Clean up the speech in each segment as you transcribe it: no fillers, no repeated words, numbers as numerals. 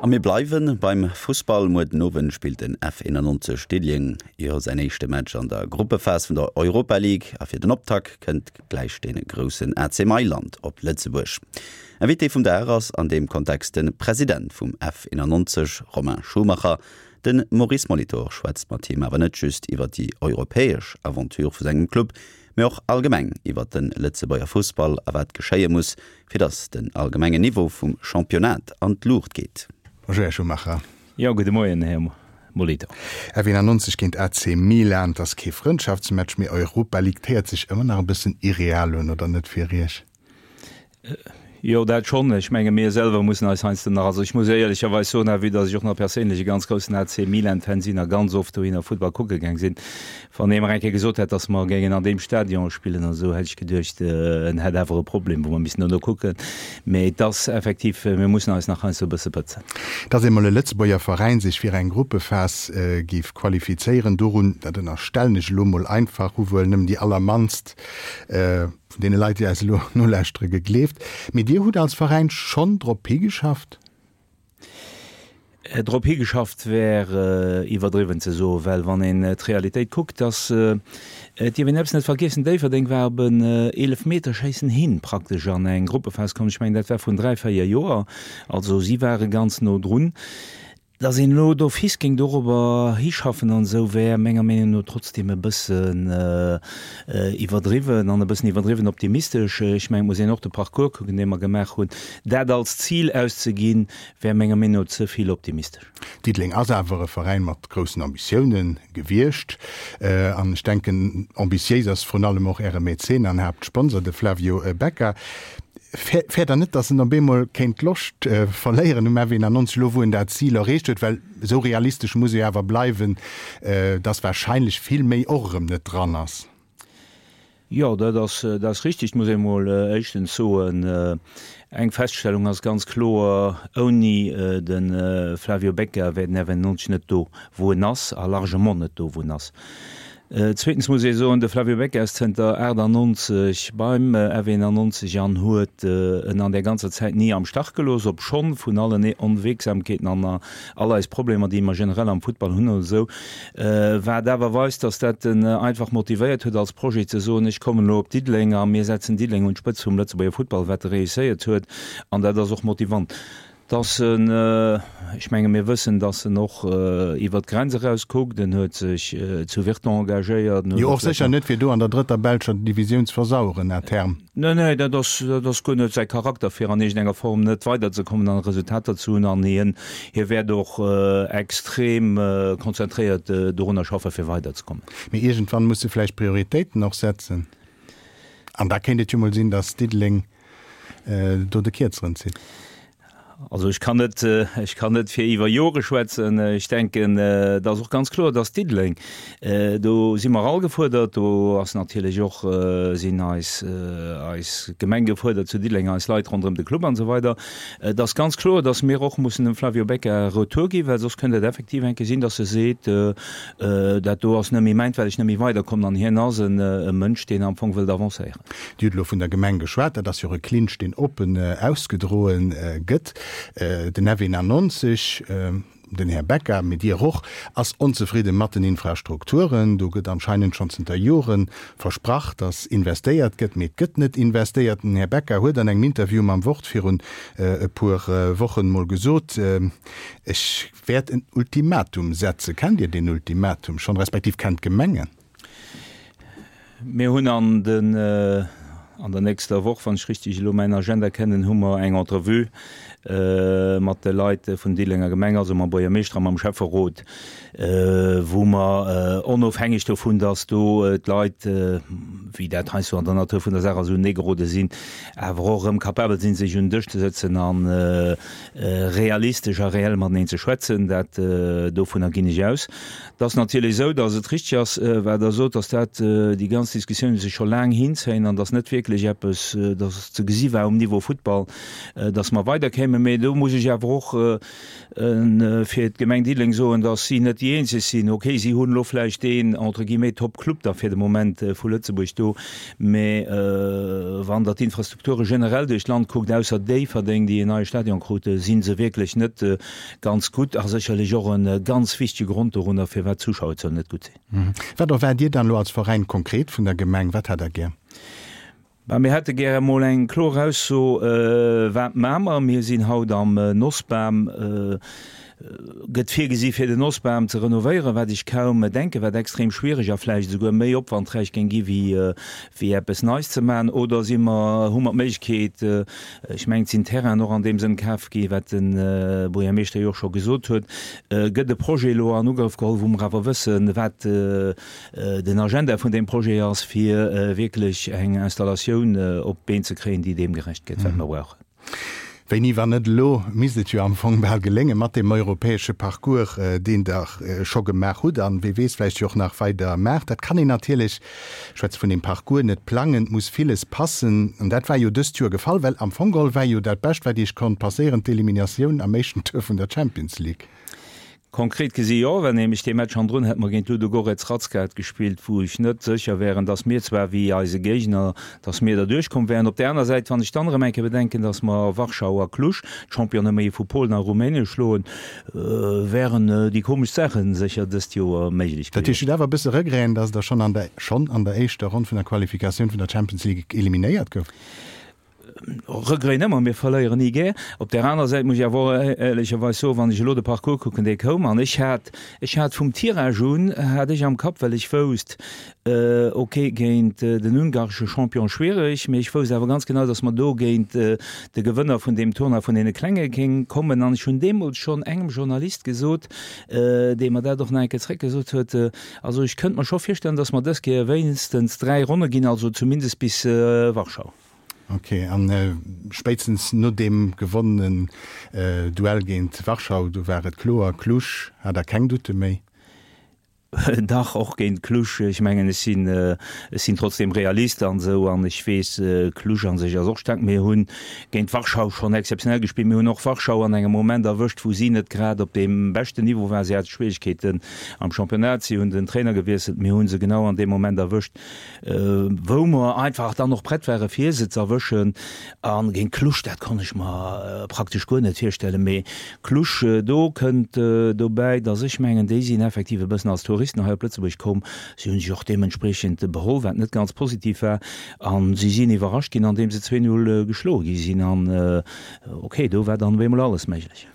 A mir bleiwe beim Fussball. Muer den Owend spillt den F91 Diddeleng jo säin éischte Match an der Gruppephas vun der Europa League. A fir den Optakt kënnt gläich de groussen AC Mailand op Lëtzebuerg. Invité vum Dag ass an deem Kontext de President vum F91, Romain Schumacher. De Maurice Molitor schwätzt mat him awer net just iwwer déi europäesch Aventure vu sengem Club, mee och allgemeng iwwer de Lëtzebuerger Fussball a wat geschéie muss, fir datt den allgemengen Niveau vum Championnat an d'Luucht geet. Bonjour Här Schumacher. Jo, gudde Moien Här Molitor. F91 géint AC Milan, 't ass kee Frëndschaftsmatch, mee Europa League. 't héiert sech ëmmer nach e bëssen irreal un, oder net fir Iech? Jo, dat schonn. Ech menge mir selwer mussen eis heiansdo nach, also ech muss éierlecherweis soen, vue datt ech och nach perséinlech e ganz groussen AC Milan-Fan sinn a ganz oft dohinner Futtball kucke gaang sinn, wann ee mer eng Kéier gesot hätt, datt mer géingen an deem Stadion spillen an esou, hätt ech geduecht, en hätt awer e Problem, wou mer missten dono kucken. Mee et ass effektiv, mir mussen eis nach heiansdo e bësse pëtzen. Datt emol e Lëtzebuerger Veräin sech fir eng Gruppephas géif qualifizéieren, dorun, dat ënnerstellen ech elo mol einfach, hu wuel nëmmen déi allermannst vun deene Leit, déi eis elo nolauschtere gegleeft. Mee Dir hutt als Veräin schonn drop higeschafft? Drop higeschafft wär iwwerdriwwen ze soen, well wann een d'Realitéit kuckt, dass, et dierf een eppes net vergiessen, Déifferdeng war op en Eelefmeterschéissen hin praktesch an eng Gruppephas komm, ech mengen dat war vrun 3, 4 Joer, also si ware ganz no drun. Dass een elo d'office géing dorobber hischaffen an esou, wär menger Meenung no trotzdem e bëssen iwwerdriwwen an e bëssen iwwerdriwwen optimistesch. Ech mengen, et muss een och de Parcours kucken, dee mer gemaach hunn. Dat als Zil auszeginn, wär menger Meenung no ze vill optimistesch. Diddeleng ass awer e Veräin mat groussen Ambitiounen gewiescht. An ech denken, ambitiéis ass vrun allem och Äre Mäzen an Haaptsponsor, de Flavio Becca. Fäert Der net, datt en op eemol kéint d'Loscht verléieren um F91, elo wou en dat Zil erreecht huet? Well esou realistesch muss ee awer bleiwen, datt warscheinlech vill méi och erëm net dran ass. Jo, dat ass, dat ass richtig. Et muss ee mol éischtens soen, eng Feststellung ass ganz kloer, Ouni de Flavio Becca wär den F91 net do, wou en ass, a largement net do, wou en ass. Zweetens muss ee soen, de Flavio Becca ass zënter 98 beim F91 an huet en an där ganzer Zäit ni am Stach gelooss, obschonn vun allen Onwegsamkeeten an all eis Problemer, déi mer generell am Futtball hunn oder esou, wat awer weist, dass dat en einfach motivéiert huet als Projet ze soen, ech kommen elo op Diddeleng a mir setzen Diddeleng un d'Spëtz vum Lëtzebuerger Futtball, wat e réusséiert huet an dat ass och motivant. Dass en, ech menge mir wëssen, dass en och iwwert d'Grenz eraus kuckt, en huet sech zu Virton engagéiert, en huet Jo, och sécher net fir do an der drëtter belscher Divisioun ze versaueren à terme. Nee, nee, dat ass, dat ass guer net säi Charakter, fir an iergendenger Form net weiderzekommen an Resultater ze hunn. An hien, hie wäert och extrem konzentréiert dorunner schaffe fir weiderzekommen. Mee iergendwann muss e vläicht Prioritéiten och setzen. An da kéint et jo mol sinn, dass Diddeleng do de Kierzeren zitt. Also ech kann net, ech kann net fir iwwer Jore schwätzen. Ech denken, et ass och ganz kloer, dass Diddeleng, do si mer all gefuerdert, do ass natierlech och, sinn eis, eis Gemeng gefuerdert zu Diddeleng, eis Leit ronderëm de Club an esou weider. Et ass ganz kloer, dass mir och mussen dem Flavio Becca Retour ginn, well soss kënnt et effektiv eng Kéier sinn, dass e seet, dat do ass net méi mäint, well ech net méi weiderkommen. An hien ass e Mënsch, deen am Fong wëllt avancéieren. Dir hutt elo vun der Gemeng geschwat, dat ass jo och e Clinch, deen oppen ausgedroe gëtt. Den F 91, den Här Becca, mee Dir och, ass onzefridde mat den Infrastrukturen. Do gëtt anscheinend schonn zënter Jore versprach, datt investéiert gëtt, mee et gëtt net investéiert. Den Här Becca huet an engem Interview mam Wort virun e puer Wochen mol gesot, Ech wäert en Ultimatum setzen. Kennt Dir deen Ultimatum schonn, respektiv kennt d'Gemeng en? Mir hunn an den, an der nächster Woch, wann ech richtig elo mäin Agenda kennen, hu mer eng Entrevue mat de Leit vun Diddelenger Gemeng, also mam Buergermeeschter a mam Schäfferot, wou mer onofhängeg dovun, dass do d'Leit, wéi dat heiansdo an der Natur vun der Saach ass, uneegerode sinn, awer och erëm capabel sinn, sech un den Dësch ze sëtzen a realistesch a reell mateneen ze schwätzen. Dat, dovunner ginn ech aus. Et ass natierlech esou, datt et richtig ass, wat Der sot, datt dat déi ganz Diskussiounen sech scho laang hinzéien an datt net wierklech. wierklech eppes, dass ze gesi war um Niveau Futtball, dass mer weiderkéimen. Mee do muss ech awer och fir d'Gemeng Diddeleng soen, dass si net déi eenzeg sinn. Okay, si hunn elo vläicht deen entre guillemets Top-Club da fir de Moment vu Lëtzebuerg do, mee wann Der d'Infrastrukture generell duerch d'Land kuckt, ausser Déifferdeng, déi en neie Stadion krute, si se wierklech net ganz gutt a sécherlech och e ganz wichtege Grond dorunner, firwat d'Zuschauerzuelen net gutt sinn. Wat erwaart Dir dann elo als Veräin konkret vun der Gemeng? Wat hätt Der gär? Bah, mir hätte gär emol eng kloer Ausso, wat maache mer? Mir sinn haut am Nossbam. Gëtt virgesi fir den Nossbam ze renovéieren, wat ech kaum denken, wat extrem schwiereg a vläicht esouguer méi opwandräich géing gi wéi eppes Neis ze maachen? Oder si mer, hu mer d'Méiglechkeet, ech mengen et sinn Terrainen och an deem Sënn kaf gi, wat de Buergermeeschter jo och scho gesot huet, gëtt e Projet elo an Ugrëff geholl, wou mer awer wëssen, wat den Agenda vun deem Projet ass, fir wierklech eng Installatioun op d'Been ze kréien, déi deem gerecht gëtt, wat mer brauchen. Wéini, wann net elo, misst et jo am Fong bal geléngen, mat deem europäesche Parcours, deen Der scho gemaach hutt an, wie weess, vläicht jo och nach weider maacht. Dat kann een natierlech, ech schwätze vun deem Parcours, net plangen, et muss villes passen. An dat war jo dëst Joer gefall, well am Fong geholl war jo dat Bescht, wat Iech konnt passéieren, d'Eliminatioun am éischten Tour vun der Champions League. Konkret gesi jo, well nämlech dee Match hannendrun hätte mer géint Ludogorets Razgrad gespillt, wou ech net sécher wären, datt mir zwar wéi eise Géigner, datt mir derduerch komm wären. Op där aner Säit, wann ech dann erëm eng Kéier bedenken, datt mer Warschau a Cluj, d'Championne méi vu Polen a Rumänien schloen, wären déi komesch Saache sécher dëst Joer méiglech Dat heescht, gewiescht. hutt awer e bësse Regreten, datt Der schonn an der schonn an der éischter Ronn vun der Qualifikatioun vun der Champions League eliminéiert gouft? Regret nëmmer, mir verléieren ni gär. Op där aner Säit muss ech awer och éierlecherweis soen, wann ech elo de Parcours kucken, dee koum, an ech hat, ech hat vum Tirage un, hat ech am Kapp, well ech wousst, ok, géint den ungaresche Champion schwiereg, mee ech wousst awer ganz genau, datt mer do géint de Gewënner vun deem Tournoi vun deene Klenge géing kommen. An ech hunn deemools schonn engem Journalist gesot, dee mer dat och nach eng Kéier zréckgesot huet, Also ech kënnt mer scho virstellen, datt mer dës Kéier wéinstens 3 Ronne ginn, also zumindest bis Warschau. Ok, an spéitstens no deem gewonnenen Duell géint Warschau, do war et kloer, Cluj hat der keng Doute méi? Dach, och géint Cluj. Ech mengen, ech sinn, ech sinn trotzdem Realist an esou, an ech weess, Cluj a sech ass och staark. Mir hunn géint Warschau schonn exzeptionell gespillt. Mir hunn och Warschau an engem Moment erwëscht, wou si net grad op deem beschten Niveau waren. Si hate Schwierigkeeten am Championnat. Si hunn den Trainer gewiesselt. Mir hu se genau an deem Moment erwëscht, wou mer einfach dann och prett ware fir se ze erwëschen. A géint Cluj, dat konnt ech mer praktesch guer net virstellen. Mee Cluj, do kënnt dobäi, datt ech mengen, déi sinn effektiv e bëssen als Touristen hei op Lëtzebuerg komm. Si hu sech och deementspriechend beholl, wat net ganz positiv war. A si sinn iwwerrascht ginn, andeem se 2, 0 geschloe gi sinn. An okay, do war dann op eemol alles méiglech.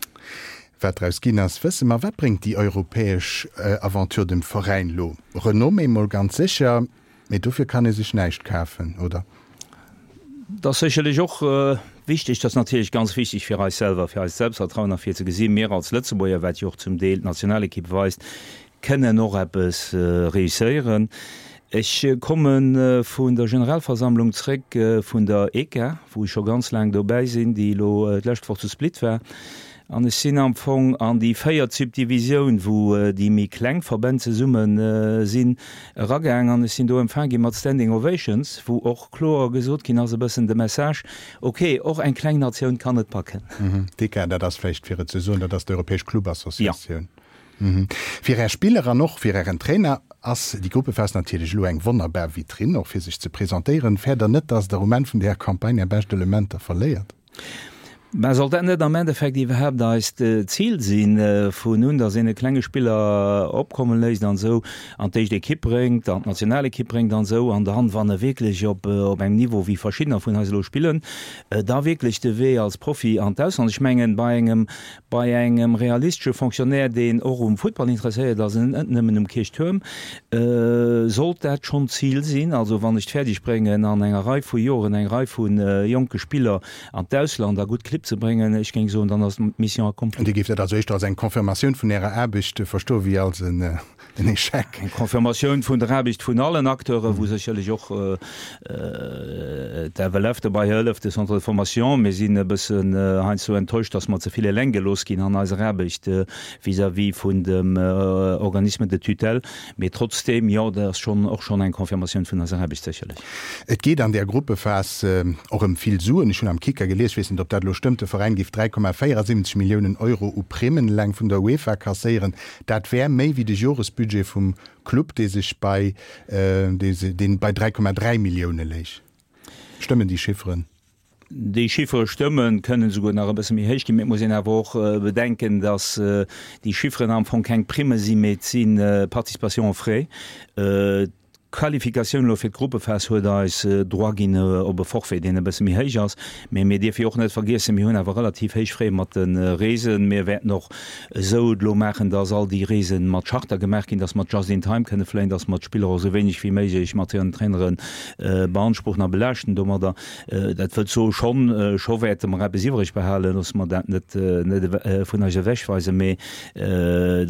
Wat draus ginn ass, wësse mer. Wat bréngt déi europäesch Aventure dem Veräin lo? Renommée mol ganz sécher, mee dofir kann ee sech näischt kafen, oder? Dat ass sécherlech och wichteg. Dat ass natierlech ganz wichteg fir eis selwer, fir eist Selbstvertrauen a fir ze gesinn, mir als Lëtzebuerger, wat jo och zum Deel d'Nationalekipp weist, kënnen och eppes réusséieren. Ech komme vun der Generalversammlung zréck vun der ECA, wou ech scho ganz laang dobäi sinn, déi elo d'lescht Woch zu Split war. An ech sinn am Fong an déi véiert Subdivisioun, wou déi méi kleng Verbänn zesumme sinn, eragaang. An ech sinn do empfaang gi mat Standing Ovations, wou och kloer gesot ginn ass, e bëssen de Message, ok, och eng kleng Natioun kann et packen. D'ECA, dat ass vläicht fir et ze soen, dat ass d'Europäesch Clubassociatioun. Fir Är Spiller an och fir Ären Trainer ass déi Gruppephas natierlech elo eng wonnerbar Vitrinn, och fir sech ze presentéieren. Fäert Der net, dass Der um Enn vun där Campagne Är bescht Elementer verléiert? Mä soll dat net am Endeffekt iwwerhaapt eist Zil sinn, vun un, datt een e klenge Spiller opkomme léisst an esou an d'éischt Ekipp bréngt, an d'Nationalekipp bréngt an esou, an dann, wann e wierklech op engem Niveau wéi verschiddener vun eis elo spillen, da wierklech de Wee als Profi an d'Ausland. Ech mengen, bei engem, bei engem realistesche Fonctionnaire, deen och um Futtball interesséiert ass an net nëmmen um Kierchtuerm, sollt dat schonn d'Zil sinn. Also wann ech et fäerdeg bréngen, an enger Rei vu Joren eng Rei vu jonke Spiller an d'Ausland a gutt Clibb. Clibb ze bréngen, ech géing soen, dann ass d'Mission accomplie. Dir géift dat also éischter als eng Confirmatioun vun Ärer Aarbecht verstoen, wéi als en Echec? Eng Confirmatioun vun der Aarbecht vun allen Acteuren, wou sécherlech och d'FLF dobäi hëlleft, de Centre de formation. Mir sinn e bëssen heiansdo enttäuscht, dass mer ze vill eleng gelooss ginn an eiser Aarbecht vis-à-vis vun dem Organisme de tutelle. Mee trotzdeem, jo, dat ass schonn och schonn eng Confirmatioun vun eiser Aarbecht sécherlech. Et geet an där Gruppephas och ëm vill Suen. Ech hunn am Kicker gelies, ech weess net, ob dat elo stëmmt, de Veräin géif 3,74 Milliounen Euro u Primmen eleng vun der UEFA kasséieren. Dat wär méi wéi de Joresbudget vum Club, dee sech bei, dee bei 3,3 Millioune léich. Stëmmen déi Chifferen? Déi Chiffere stëmmen, kënnen esouguer nach e bësse méi héich ginn. Mee et muss een awer och bedenken, datt déi Chifferen am Fong keng Primme sinn, mee et si Participations aux frais. D'Qualifikatioun elo fir d'Gruppephas huet eis Droit ginn op e Forfait, deen e bësse méi héich ass. Mee mir dierfe jo och net vergiessen, mir hunn awer relativ héich Frais mat de Reesen. Mir wäerten och esou et elo maachen, datt all déi Reese mat Charter gemaach ginn, datt mer just in time kënne fléien, datt mer d'Spiller och esou wéineg wéi méiglech mat hiren Trainere beanspruchen a belaaschten domadder. Dat wëllt soen, schonn, scho wäerte mer eppes iwwreg behalen, loosse mer dat net, net vun eis ewechweisen, mee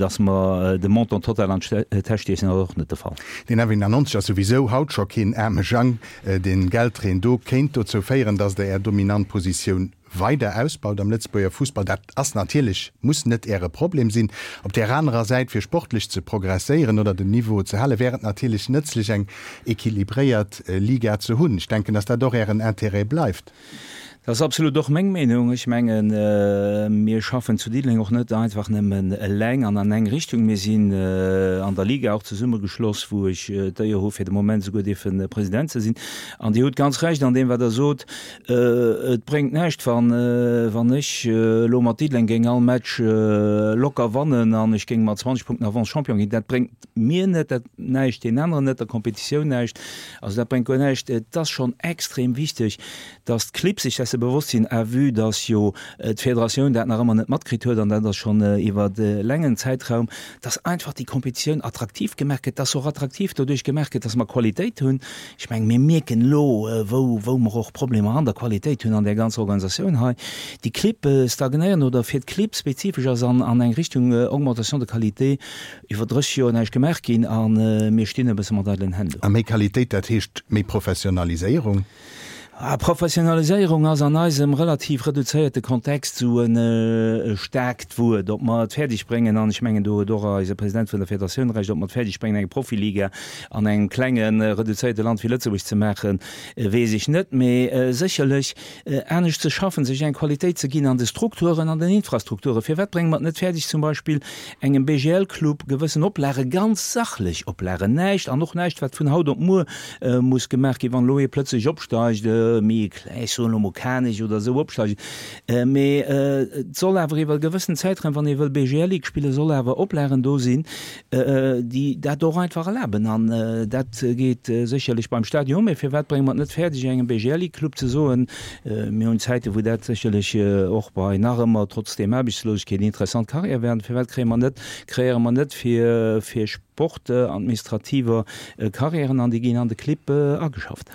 datt mer de Montant total an d'Täsch stiechen, ass och net de Fall. Deen F91 ass souwisou haut scho keen aarme Jang. Dee Geldreen do kéint dozou féieren, datt Der Är dominant Positioun weider ausbaut am Lëtzebuerger Fussball. Dat ass natierlech, muss net Äre Problem sinn. Op där anerer Säit, fir sportlech ze progresséieren oder den Niveau ze halen, wär et natierlech nëtzlech eng equilibréiert Liga ze hunn. Ech denken, datt dat och Ären Intérêt bleift. Dat ass absolut och meng Meenung. Ech mengen, mir schaffen zu Diddeleng och net einfach nëmmen eleng an an eng Richtung. Mir sinn an der Liga och zesummegeschloss, wou ech d'Éier hu fir de Moment esouguer dierfe President ze sinn. An Dir hutt ganz Recht an deem, wat Der sot. Et bréngt näischt, wann ech elo mat Diddeleng géing all Match locker wannen an ech géing mat 20 Punkten Avance Champion ginn. Dat bréngt mir net dat näischt, deenen aneren net, der Kompetitioun näischt. Also dat bréngt guer näischt. Et ass schonn extrem wichteg, datt d'Clibb sech desse bewosst sinn, à vue datt jo d'Federatioun dat nach ëmmer net matkritt huet, an dat ass schonn iwwer e laangen Zäitraum, datt einfach déi Kompetitioun attraktiv gemaach gëtt, datt se och attraktiv doduerch gemaach gëtt, datt mer Qualitéit hunn. Ech mengen, mir mierken elo, wou, wou mer och Problemer an der Qualitéit hunn an där ganzer Organisatioun hei. Déi Clibb stagnéieren oder fir d'Clibb spezifesch ass an, an eng Richtung Augmentation de qualité iwwer 30 Joer näischt gemaach ginn a mir stinn e bësse mat eidelen Hänn do. A méi Qualitéit, dat heescht méi Professionaliséierung? Professionaliséierung ass an eisem relativ reduzéierte Kontext esou e staarkt Wuert. Ob mer et fäerdeg bréngen, an ech mengen do huet och eise President vun der Federatioun Recht, ob mer et fäerdeg bréngen eng Profiliga an engem klenge reduzéierte Land wéi Lëtzebuerg ze maachen, weess ech net. Mee sécherlech anescht ze schaffen, sech eng Qualitéit ze ginn an de Strukturen, an den Infrastrukturen. Firwat brénge mer et net fäerdeg zum Beispill engem BGL-Club gewëssen Oplage, ganz sachlech Oplagen, näischt an och näischt wat vun haut op muer muss gemaach ginn, wann elo ee plëtzlech opsteigt, méi kleng, ech soen elo mol Kanech oder esou opsteigen, mee et soll awer iwwer e gewëssen Zäitraum, wann ee wëll BGL Ligue spillen, soll awer Oplagen do sinn, déi dat och einfach erlaben. An dat geet sécherlech beim Stadion, mee firwat brénge mer et net fäerdeg engem BGL Ligue Club ze soen, mir hunn Zäiten, wou dat sécherlech och bei nach ëmmer trotz deem Aarbechtslosegkeet interessant Carrière wären, firwat kréie mer net, kreéiere mer net fir fir Sport-administrativer Carrièren an déi ginn an de Clibb ageschafft.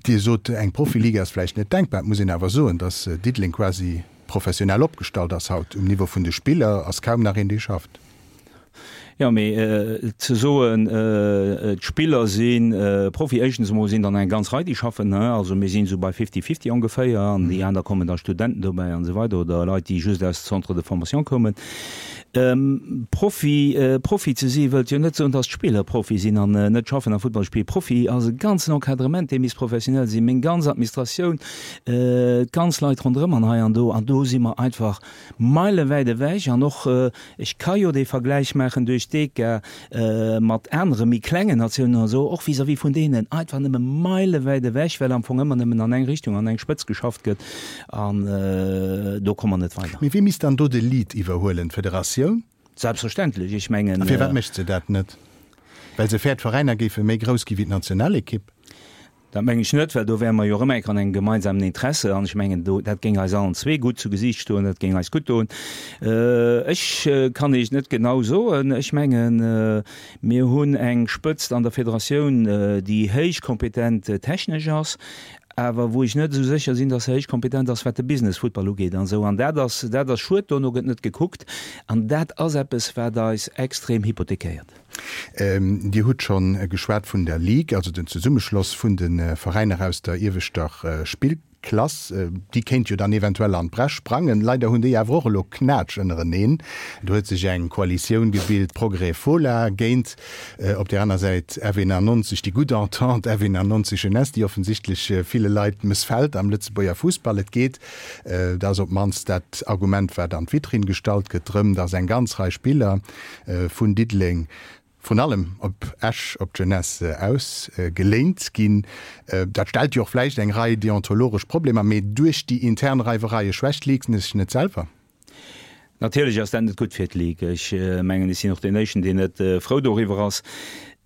Dir sot, eng Profiliga ass vläicht net denkbar. Et muss een awer soen, datt Diddeleng quasi professionell opgestallt ass haut. Um Niveau vun de Spiller ass kaum nach een, dee schafft. Jo, mee ze soen, d'Spiller si Profi, éischtens emol sinn der eng ganz Rei, déi schaffen. Also mir sinn esou bei fifty-fifty ongeféier an déi aner kommen da Studenten dobäi an esou weider oder Leit, déi just aus Centres de formation koumen. Profi, Profi ze si wëllt jo net soen, datt d'Spiller Profi sinn an net schaffen a Futtball spillen. Profi ass e ganzen Encadrement, dee misst professionell sinn, meng ganz Administratioun, d'ganz Leit ronderëm an hei an do. An do si mer einfach meilewäit ewech. An och, ech ka jo dee Vergläich maachen duerch d'ECA mat anere méi klengen Natiounen oder esou, och vis-à-vis vun deenen einfach nëmme meilewäit ewech, well am Fong ëmmer nëmmen an eng Richtung, an eng Spëtz geschafft gëtt. An do komme mer net weider. Mee wie misst dann do de Lead iwwerhuelen? D'Federatioun? Selbstverständlech. Ech mengen. A firwat mécht se dat net? Well se fäert, d'Veräiner géife méi grouss gi wéi d'Nationalekipp? Dat mengen ech net, well do wäre mer jo erëm eng Kéier an engem gemeinsamen Interesse. An ech mengen, do, dat géing eis allen zwee gutt zu Gesiicht stoen, dat géing eis gutt doen. Ech kann Iech net genau soen. Ech mengen, mir hunn eng Spëtzt an der Federatioun, déi héich kompetent technesch ass. awer wou ech net esou sécher sinn, dass se héich kompetent ass, wat de Business Futtball ugeet an esou. An dat ass, dat ass schued, dono gëtt net gekuckt an dat ass eppes, wat eis extrem hypothekéiert. Dir hutt scho geschwat vun der Ligue, also den Zesummeschloss vun de Veräiner aus der ieweschter Spillklass. Déi kéint jo dann eventuell an d'Bresch sprangen. Leider hunn déi awer och elo Knatsch ënnereneen. Do huet sech eng Koalitioun gebilt, Progrès Fola géint op där aner Säit F91, déi gutt Entente F91 Jeunesse, déi offensichtlech ville Leit mëssfält am Lëtzebuerger Fussball. Et geet, dat ass op d'mannst dat Argument, wat an d'Vitrinn gestallt gëtt, drëm, datt eng ganz Rei Spiller vun Diddeleng vrun allem op Esch op d'Jeunesse ausgeléint ginn. Dat stellt jo och vläicht eng Rei deontologesch Problemer, mee duerch déi intern Reiwereie schwächt d'Ligue sech net selwer? Natierlech ass dat net gutt fir d'Ligue. Ech mengen, ech sinn och deen Éischten, deen net frou doriwwer ass.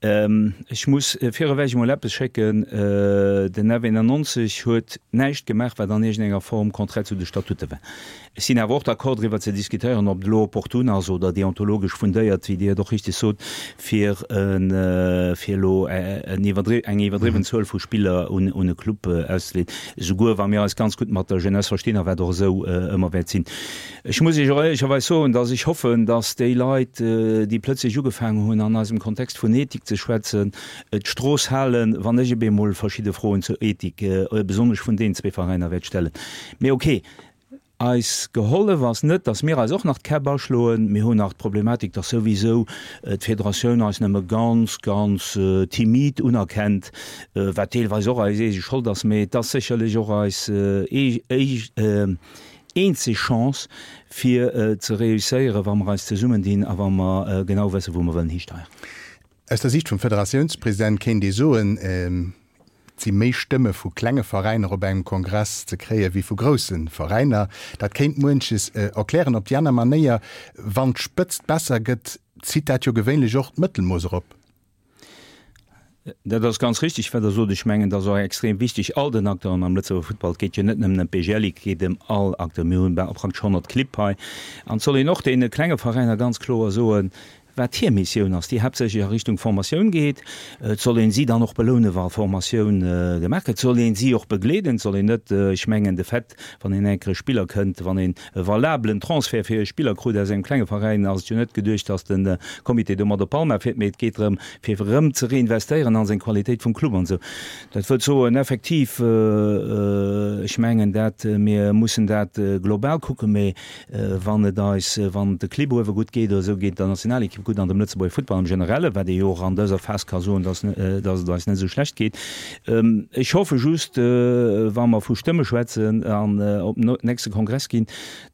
Ech muss virewech emol eppes schécken, Den F91 huet näischt gemaach, wat an iergendenger Form contraire zu de Statute war. Ech sinn awer och d'accord driwwer ze diskutéieren, ob et elo opportun ass oder deontologesch fundéiert, wéi Dir et och richtig sot, fir fir elo eng iwwerdriwwen Zuel vu Spiller un e Club auszeleen, esouguer wa mir eis ganz gutt mat der Jeunesse verstinn a wat och esou ëmmer wäert sinn. Ech muss Iech och éierlecherweis soen, dass ech hoffen, dass déi Leit, déi plötzlech ugefaangen hunn an eisem Kontext vun Ethik ze schwätzen, d'Strooss halen, wann ech op eemol verschidde Froen zur Ethik, besonnesch vun deenen zwee Veräiner, wäert stellen. Mee okay. Eis gehollef ass net, dass mir eis och nach d'Käpp aschloen. Mir hunn nach d'Problematik, dass souwisou d'Federatioun eis nëmme ganz, ganz timid unerkennt, wat deelweis och eis eege Schold ass, mee et ass sécherlech och eis eenzeg Chance, fir ze reusséieren, wa mer eis zesummendinn a wa mer genau wëssen, wou mer wëllen histeieren. Aus der Siicht vum Federatiounspresident kéint ee soen, et si méi Stëmme vu klenge Veräiner op engem Kongress ze kréie wéi vu grousse Veräiner. Dat kéint muenches erklären. Op déi aner Manéier, wann d'Spëtzt besser gëtt, zitt dat jo gewéinlech och d'Mëttelmooss erop. Dat ass ganz richtig, wat Der sot. Ech mengen, et ass och extrem wichteg, all den Acteuren am Lëtzebuerger Futtball, et geet jo net nëmmen ëm d'BGL, et geet ëm all Acteur. Mir hunn praktesch 100 Clibb hei. An et soll een och deene klenge Veräiner ganz kloer soen, wat hir Missioun ass, déi haaptsächlech a Richtung Formatioun geet. Et soll een si dann och belounen, wa Formatioun gemaach gëtt. Et soll een si och begleeden. Et soll een net, ech mengen de Fait, wann een enk e Spiller kënnt, wann een e valabelen Transfert fir e Spiller krut aus engem klenge Veräin, ass et jo net geduecht, datt de Comité domat op Palma fiert, mee et geet drëm, fir erëm ze reinvestéieren an seng Qualitéit vum Club an esou. Dat wëllt soen, effektiv, ech mengen dat, mir mussen dat global kucken, mee Wann et eis, wann et de Clibb uewe gutt geet oder esou, geet et der Nationalekipp gutt an dem Lëtzebuerger Futtball am Generelle, wat ee jo och an dëser Phas ka soen, dass, dass et eis net esou schlecht geet. Ech hoffe just, wa mer vu Stëmme schwätzen an op den nächste Kongress ginn,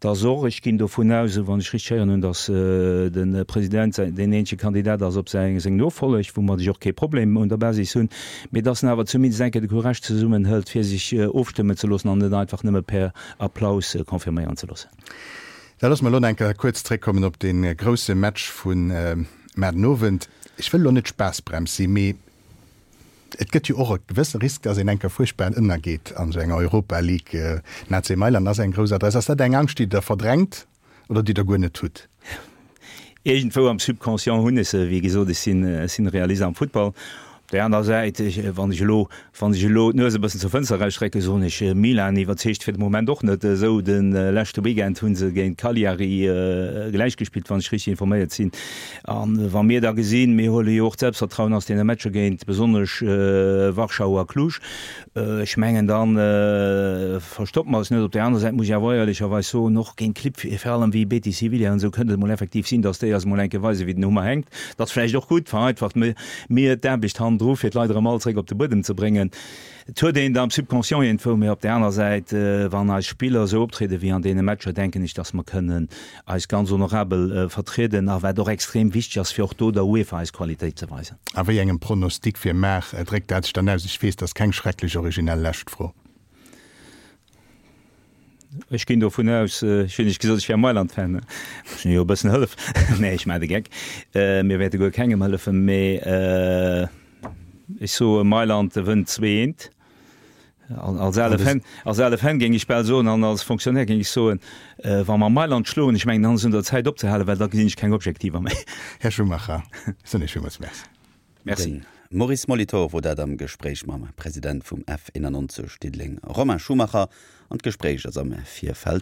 dass och, ech ginn dovun aus, esou wann ech richteg héieren hunn, dass de President deen eenzege Kandidat ass op säi, seng Nofolleg, woumat ech och kee Problem un der Basis hunn, mee dass en awer zumindest eng Kéier de Courage zesummenhëlt, fir sech ofstëmmen ze loossen an net einfach nëmme per Applaus confirméieren ze loossen. Da loosse mer elo nach eng Kéier kuerz zréckkommen op dee grousse Match vu mar den Owend. Ech wëll elo net d'Spaassbrems sinn, mee et gëtt jo och e gewësse Risk, dass een eng Kéier fuerchtbar ënnergeet an esou enger Europa League. Den AC Mailand ass eng grouss Adress. Ass dat eng Angscht, déi Der verdrängt oder déi Der guer net hutt? Iergendwou am Subconscient hunn ech se. Wéi gesot, ech sinn, ech sinn Realist am Futtball. Op där aner Säit, ech, wann ech elo, wann ech elo d'Nues e bëssen zur Fënster erausstrecken, soen ech, Milan iwwerzeegt fir de Moment och net esou. De leschte Weekend hu se géint Cagliari gläich gespillt, wann ech richteg informéiert sinn. A wa mir da gesinn, mir huele jo och d'Selbstvertrauen aus deene Matcher géint besonnesch Warschau a Cluj, Ech mengen, da verstoppe mer eis net. Op där anerer Säit muss ech awer éierlecherweis soen, och géint Clibb vir allem wéi Betis Sevilla an esou kënnt et emol effektiv sinn, datt déi eis emol eng Kéier weisen, wéi den Hummer hänkt. Dat ass vläicht och gutt, vereinfacht mir d'Aarbecht hannendru, fir d'Leit erëm all zréck op de Buedem ze bréngen. Et huet een et am Subconscient iergendwou, mä op där aner Säit, wann eis Spiller esou optriede wéi an deene Matcher, denken ech, datt mer kënnen eis ganz honorabel vertrieden a wat och extrem wichteg ass, fir och do der UEFA eis Qualitéit ze weisen. A wéi engem Pronostic fir mar dréckt dat sech dann aus? Ech weess, dat ass keng schrecklech originell lescht Fro. Ech ginn dovun aus, ech hunn lech gesot, ech wär Mailand-Fan, ech hunn jo e bëssen hëllef. Nee, ech maachen de Geck. Mir wäerte guer kengem hëllefen, mee ech soe Mailand wënnt 2, 1. Als ale Fan, als ale Fan géing ech bal soen an als Fonctionnaire géing ech soen, wa mer Mailand schloen, ech mengen, dann ass et un der Zäit opzehalen, well da gesinn ech keng Objektiver méi. Här Schumacher, ech soen Iech villmools Merci. Merci. De Maurice Molitor wor dat am Gespréich mam President vum F 91 Diddeleng Romain Schumacher an d'Gespréich ass am Virfeld.